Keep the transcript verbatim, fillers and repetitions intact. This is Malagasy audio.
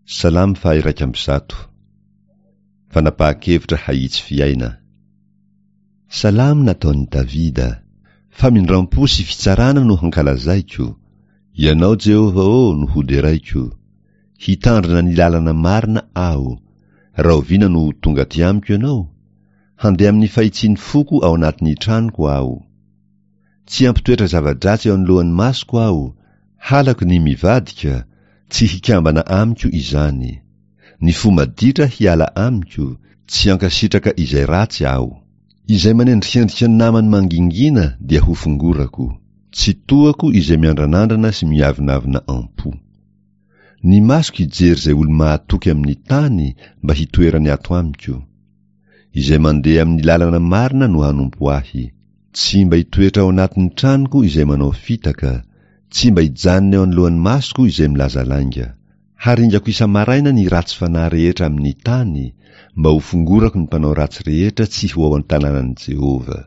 Salamo faha-iraika amby zato. Fanapahan-kevitra hahitsy fiaina. Salamo nataon'i Davida. Famindram-po sy fitsarana no hankalazaiko. Ianao, Jehovah ô, no hoderaiko. Hitandrina ny lalana marina aho. Rahoviana no ho tonga aty amiko ianao? Handeha amin'ny fahitsian'ny foko ao anatin'ny tranoko aho. Tsy hampitoetra zava-dratsy eo anoloan'ny masoko aho. Halako ny mivadika, tsy hikambana amiko izany. Ny fo maditra hiala amiko, tsy hankasitraka izay ratsy aho. Izay manendrikendrika ny namany mangingina dia hofongorako. Tsy tohako izay miandranandrana sy miavonavona am-po. Ny masoko hijery izay olo-mahatoky amin'ny tany mba hitoerany ato amiko. Izay mandeha amin'ny lalana marina no hanompo ahy. Tsy mba hitoetra ao anatin'ny tranoko izay manao fitaka, tsy mba hijanona eo anoloan'ny masoko izay milaza lainga. Haringako isa-maraina ny ratsy fanahy rehetra amin'ny tany, mba hofongorako ny mpanao ratsy rehetra tsy ho ao an-tanànan'i Jehovah.